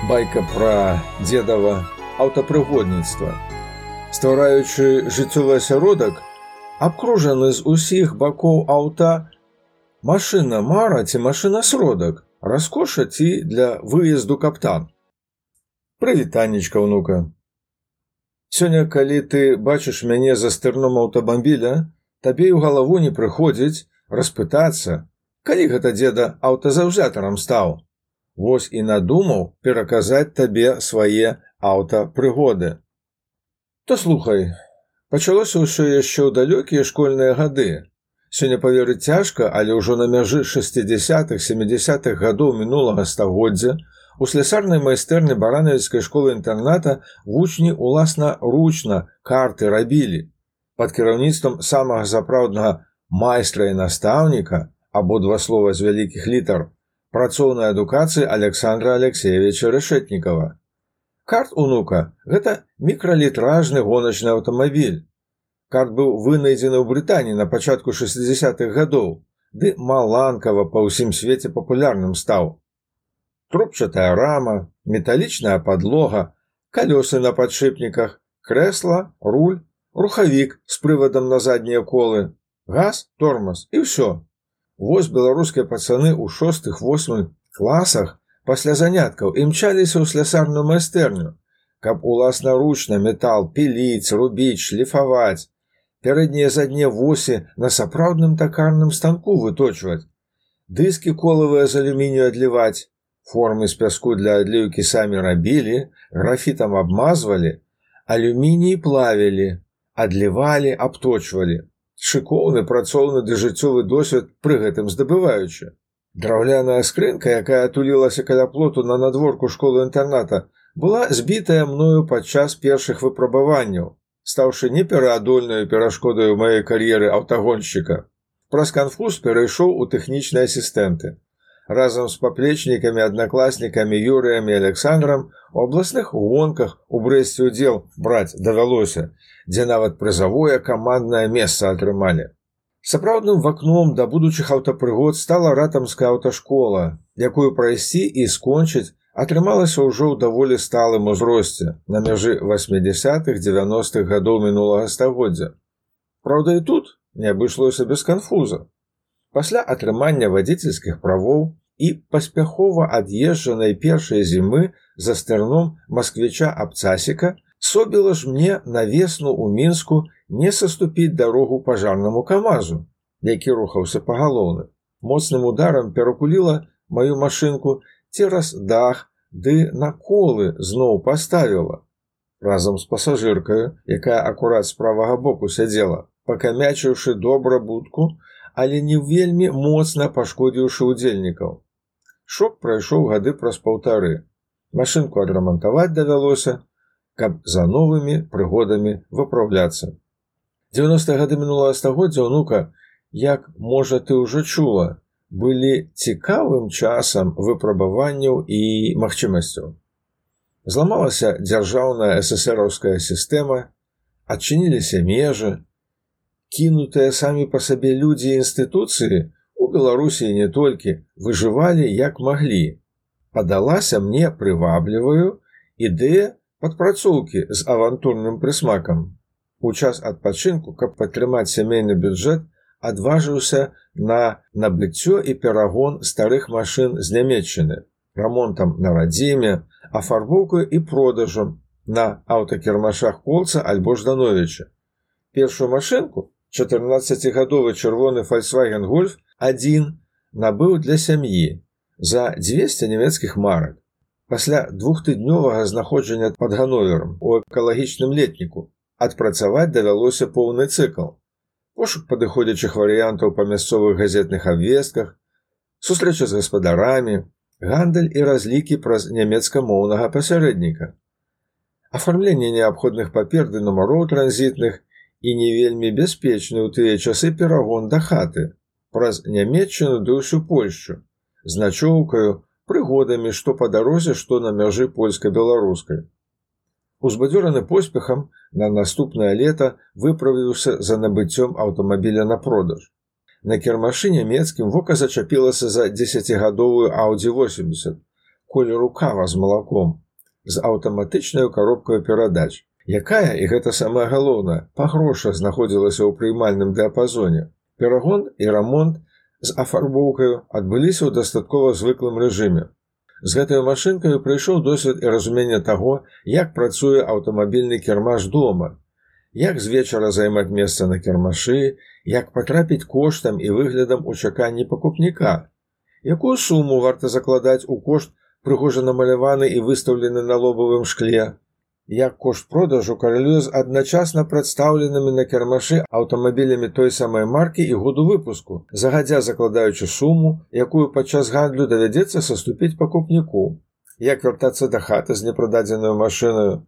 Байка пра дзедава аўтапрыгодніцтва. Ствараючы жыццёвы асяродак, абкружаны з усіх бакоў аўта машына-мара ці машына-сродак, раскоша ці для выезду каптан. Прывітанечка, ўнука. Сёння, калі ты бачыш мяне за стырном аўтамабіля, табе ў галаву не прыходзіць распытацца, калі гэта дзеда аўтазаўзятарам стаў. Вось і надумаў пераказаць табе свае аўтапрыгоды. То слухай, пачалося ўсё яшчэ ў далёкія школьныя гады. Сёння паверыць цяжка, але ўжо на мяжы 60-70-х гадоў мінулага стагоддзя у слясарнай майстэрні баранавіцкай школы-інтэрната вучні уласнаручна карты рабілі. Пад кіраўніцтвам самага запраўднага майстра і настаўніка, абодва слова з вялікіх літар, працоўнай адукацыі Александра Алексеевича Рашэтнікава. Карт, унука, гэта мікралітражны гоначны аўтамабіль. Карт быў вынайдзены ў Брытаніі на пачатку 60-х гадоў, ды маланкава па ўсім свеце папулярным стаў. Трубчатая рама, металічная падлога, калёсы на падшипніках, крэсла, руль, рухавік з прывадам на заднія колы, газ, тормоз і ўсё. Вось беларускія пацаны ў 6-8 класах пасля заняткаў імчаліся ў слясарную майстэрню, каб уласнаручна метал піліць, рубіць, шліфаваць, пярэднія заднія восі на сапраўдным такарным станку выточваць, дыскі колавыя з алюмінію адліваць, формы з пяску для адліўкі самі рабілі, графітам абмазвалі, алюміній плавілі, адлівалі, абточвалі. Шыкоўны, працоўны ды жыццёвы досвед пры гэтым здабываючы. Драўляная скрынка, якая тулілася каля плоту на надворку школы-інтэрната, была збітая мною падчас першых выпрабаванняў, стаўшы непераадольнаю перашкодаю маёй кар'еры аўтагоншчыка. Праз канфуз перайшоў у тэхнічныя асістэнты. Разам з паплечнікамі, аднакласнікамі Юрыем і Александрам у абласных гонках у Брэсце ўдзел браць давялося, дзе нават прызавое каманднае месца атрымалі. Сапраўдным вакном да будучых аўтапрыгод стала ратамская аўташкола, якую прайсці і скончыць атрымалася ўжо ў даволі сталым узросце, на мяжы 80-х-90-х гадоў мінулага стагоддзя. Праўда, і тут не абышлося без канфуза. Пасля атрымання вадзіцельскіх правоў і паспяхова ад'езджанай першай зімы за стырном масквіча Абцасіка собіла ж мне на весну ў Мінску не саступіць дарогу пажарнаму камазу, які рухаўся па галоўны. Моцным ударам перакуліла маю машынку цераз дах ды на колы зноў паставіла. Разам з пасажыркаю, якая акурат з правага боку сядзела, пакамячыўшы добра будку, але не вельмі моцна пашкодзіўшы ўдзельнікаў. Шок прайшоў гады праз паўтары. Машынку адрамантаваць давялося, каб за новымі прыгодамі выпраўляцца. 90-е гады мінулага стагоддзя, унука, як, можа, ты ўжо чула, былі цікавым часам выпрабаванняў і магчымасцяў. Зламалася дзяржаўная эсэсэраўская сістэма, адчыніліся межы, кінутыя самі па сабе людзі і інстытуцыі у Беларусі не толькі выжывалі як маглі. Падалася мне прывабліваю ідэя падпрацоўкі з авантурным прысмакам. У час адпачынку, каб падтрымаць сямейны бюджэт, адважыўся на набыццё і перагон старых машын з Нямецчыны, рамонтам на радзіме, афарбоўкаю і продажам на аўтакірмашах Колца альбо Ждановіча. Першую машынку, 14-гадовы чырвоны Volkswagen Golf 1, набыў для сям'і за 200 нямецкіх марак. Пасля 2-тыднёвага знаходжання пад Ганноверам у экалагічным летніку адпрацаваць давялося поўны цыкл. Пошук падыходзячых варыянтаў па мясцовых газетных абвестках, сустрэча з гаспадарамі, гандаль і разлікі праз нямецкамоўнага пасярэдніка, афармленне неабходных папер ды нумароў транзітных і не вельмі бяспечны ў тыя часы перагон да хаты праз Нямецчыну ды ўсю Польшчу, з начоўкаю, прыгодамі што па дарозе, што на мяжы польска-беларускай. Узбадзёраны поспехам, на наступнае лета выправіўся за набыццём аўтамабіля на продаж. На кірмашы нямецкім вока зачапілася за 10-гадовую Audi 80. колеру кава з малаком, з аўтаматычнай коробкай перадач, якая, і гэта самае галоўнае, па грошах знаходзілася ў прыймальным дыяпазоне. Перагон і рамонт з афарбоўкаю адбыліся ў дастаткова звыклым рэжыме. З гэтай машынкаю прыйшоў досвед і разуменне таго, як працуе аўтамабільны кірмаш дома, як з вечара займаць месца на кірмашы, як патрапіць коштам і выглядам у чаканні пакупніка, якую суму варта закладаць у кошт, прыгожа намаляваны і выстаўлены на лобавым шкле, як кошт продажу карэлюе з адначасна прадстаўленымі на кірмашы аўтамабілямі той самай маркі і году выпуску, загадзя закладаючы суму, якую падчас гандлю давядзецца саступіць пакупніку, як вяртацца да хаты з непрададзенаю машынаю.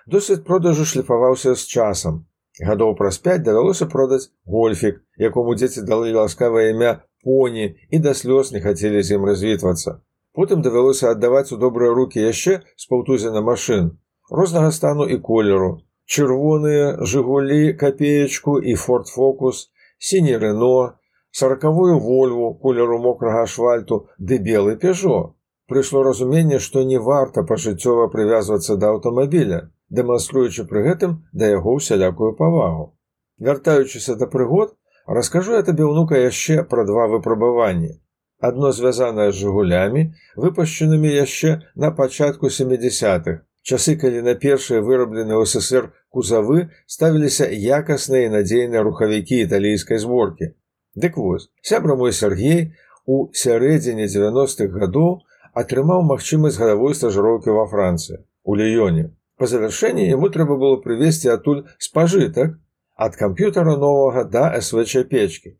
Досвед продажу шліфаваўся з часам. Гадоў праз 5 давялося продаць гольфік, якому дзеці далі ласкавае імя Поні і да слёз не хацелі з ім развітвацца. Потым давялося аддаваць у добрыя рукі яшчэ з паўтузіна машын рознага стану і колеру. Чырвоныя «Жигулі» капеечку і «Форд Фокус», сіні «Рено», 40-ю «Вольву» колеру мокрага асфальту ды белы «Пежо». Прыйшло разуменне, што не варта пажыццёва прывязвацца да аўтамабіля, дэманструючы пры гэтым да яго ўсялякую павагу. Вяртаючыся да прыгод, раскажу я табе, ўнука, яшчэ пра 2 выпрабаванні. Адно звязанае з «Жигулямі», выпушчанымі яшчэ на пачатку 70-х, часы, калі на першыя вырабленыя ў СССР кузавы ставіліся якасныя і надзейныя рухавікі італійскай зборкі. Дык вось, сябра мой Сергей у сярэдзіне 90-х гадоў атрымаў магчымасць гадавой стажыроўкі ва Францыі, у Ліёне. Па завяршэнні яму трэба было прывезці адтуль спажытак ад камп'ютара новага да СВЧ-печкі.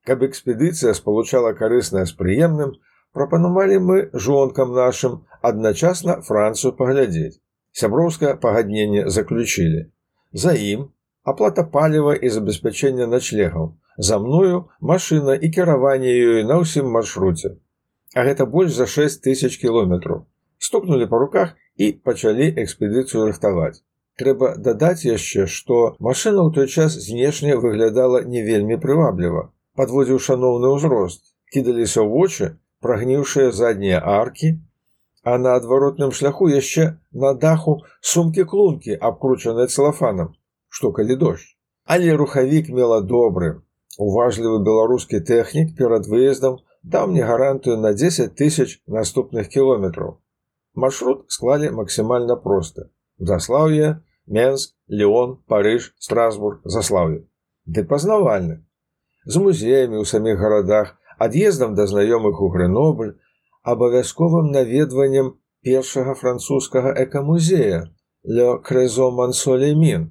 Каб экспедыцыя спалучала карыснае з прыемным, прапанавалі мы жонкам нашым адначасна Францыю паглядзець. Сяброўскае пагадненне заключылі. За ім аплата паліва і забеспячэння начлегаў. За мною машына і кіраванне ёй на ўсім маршруце. А гэта больш за 6000 кіlometrаў. Стукнулі па руках і пачалі экспедыцыю рыхтаваць. Трэба дадаць яшчэ, што машына ў той час знешне выглядала не вельмі прывабліва. Падводзіў шаноўны ўзрост, кідаліся ў вочы прагніўшыя заднія аркі, а на адваротным шляху яшчэ на даху сумкі-клункі, абкручаныя цэлафанам, што калі дождж. Але рухавік мела добры. Уважлівы беларускі тэхнік перад выездам даў мне гарантыю на 10 000 наступных кіlometrаў. Маршрут склалі максімальна просты. Заслаўе, Менск, Леон, Парыж, Страсбург, Заслаўе. Ды пазнавальны. З музеямі ў саміх гарадах, ад'ездам да знаёмых у Грэнобль, абавязковым наведваннем першага французскага экамузея «Le Creuset Mont-Solemin»,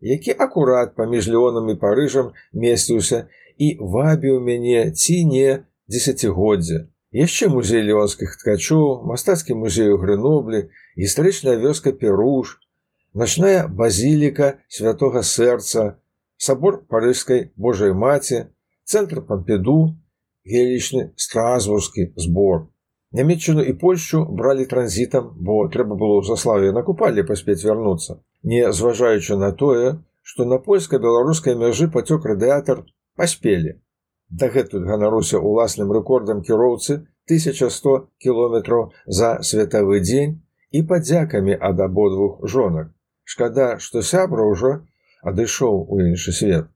які акурат паміж Леонам і Парыжам месціўся і вабіў мяне ці не дзесяцігоддзе. Яшчэ музей леонскіх ткачоў, мастацкі музей у Грэноблі, гістарычная вёска Перуж, начная базіліка Святога Сэрца, сабор Парыжскай Божай Маці, цэнтр Пампіду, велічны Страсбургскі збор. Нямецчыну і Польшчу бралі транзітам, бо трэба было ў Заслаўе на купалле паспець вярнуцца. Не зважаючы на тое, што на польска-беларускай мяжы пацёк радыятар, паспелі. Дагэтуль ганаруся уласным рэкордам кіроўцы 1100 кіlometrаў за светавы дзень і падзякамі ад абодвух жонак. Шкада, што сябра ўжо адышоў у іншы свет.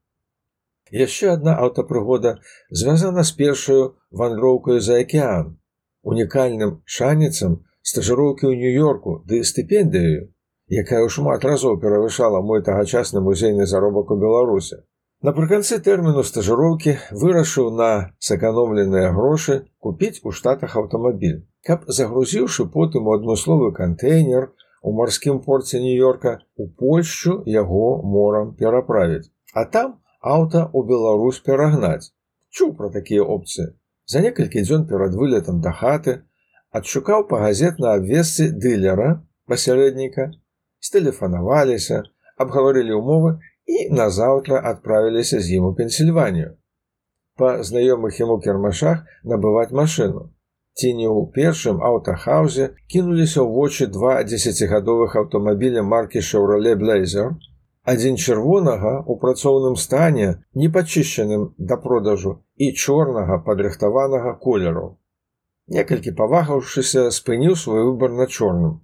Яшчэ адна аўтапрыгода звязана з першаю вандроўкаю за акеан, унікальным шанецам стажыроўкі ў Нью-Йорку ды стыпендыяю, якая ў шмат разоў перавышала мой тагачасны музейны заробак у Беларусі. Напрыканцы тэрміну стажыроўкі вырашыў на сэканомленыя грошы купіць у Штатах аўтамабіль, каб, загрузіўшы потым у адмысловы кантэйнер у марскім порце Нью-Йорка, у Польшчу яго морам пераправіць, а там аўта ў Беларусь перагнаць. Чуў пра такія опцыі. За некалькі дзён перад вылетам да хаты адшукаў па газетнай абвестцы дылера, пасярэдніка, стэлефанаваліся, абгаварылі ўмовы і назаўтра адправіліся з ім у Пенсільванію. Па знаёмых яму кірмашах набываць машыну. Ці не ў першым аўтахаўзе кінуліся ў вочы 2 10гадовых аўтамабіля маркі Chevrolet Blazer, адзін чырвонага ў працоўным стане, не пачышчаным да продажу, і чорнага падрыхтаванага колеру. Некалькі павагаўшыся, спыніў свой выбар на чорным.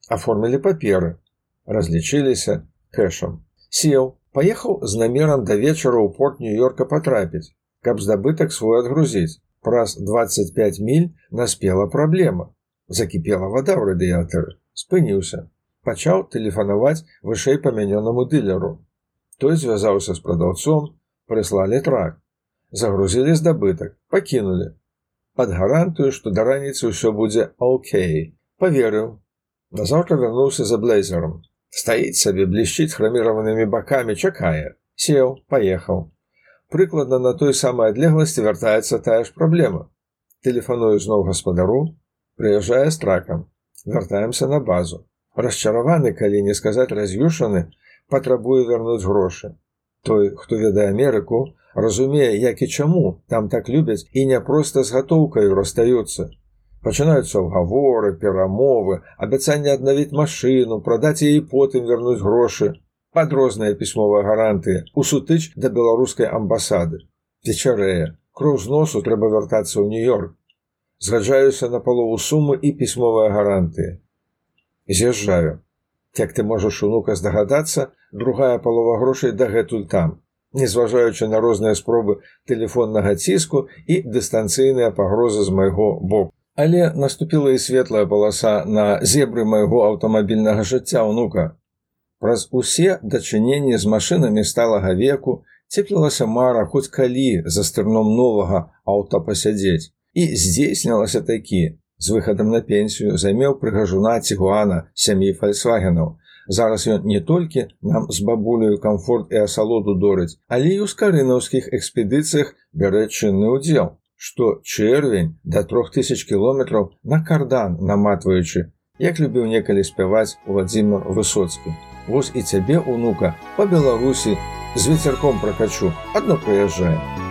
Аформілі паперы, разлічыліся кэшам. Сеў, паехаў з намерам да вечара ў порт Нью-Йорка патрапіць, каб здабытак свой адгрузіць. Праз 25 міль наспела праблема. Закіпела вада ў радыятары. Спыніўся. Пачаў тэлефанаваць вышэй памянёнаму дылеру. Той звязаўся з прадаўцом, прыслалі трак. Загрузілі здабытак, пакінулі. Пад гарантыю, што да раніцы ўсё будзе окей. Паверыў. Назаўтра вярнуўся за блейзерам. Стаіць сабе, блішчыць храміраванымі бакамі, чакае. Сеў, паехаў. Прыкладна на той самай адлегласці вяртаецца тая ж праблема. Тэлефаную зноў гаспадару, прыязджае з тракам. Вяртаемся на базу. Расчараваны, калі не сказаць раз'юшаны, патрабуе вярнуць грошы. Той, хто ведае Амерыку, разумее, як і чаму там так любяць і не проста з гатоўкаю расстаюцца. Пачынаюцца ўгаворы, перамовы, абяцанне аднавіць машыну, прадаць яе і потым вярнуць грошы, пад розныя пісьмовыя гарантыі, у сутыч да беларускай амбасады. Вечарэе, кроў з носу, трэба вяртацца ў Нью-Йорк. Згаджаюся на палову сумы і пісьмовыя гарантыі. З'язджаю. Як ты можаш, унука, здагадацца, другая палова грошай дагэтуль там, незважаючы на розныя спробы тэлефоннага ціску і дыстанцыйныя пагрозы з майго боку. Але наступіла і светлая паласа на зебры майго аўтамабільнага жыцця, унука. Праз усе дачыненні з машынамі сталага веку цеплілася мара хоць калі за стырном новага аўта пасядзець. І здзейснілася такі. З выхадам на пенсію займеў прыгажуна Цігуана сям'і Фальксвагенаў. Зараз ён не толькі нам з бабуляю камфорт і асалоду дорыць, але і ў скарынаўскіх экспедыцыях бярэ чынны ўдзел, што чэрвень да 3000 кіlometrаў на кардан наматваючы, як любіў некалі спяваць Владзімір Высоцкі. Вось і цябе, унука, па Беларусі з вецярком пракачу, адно прыязджае.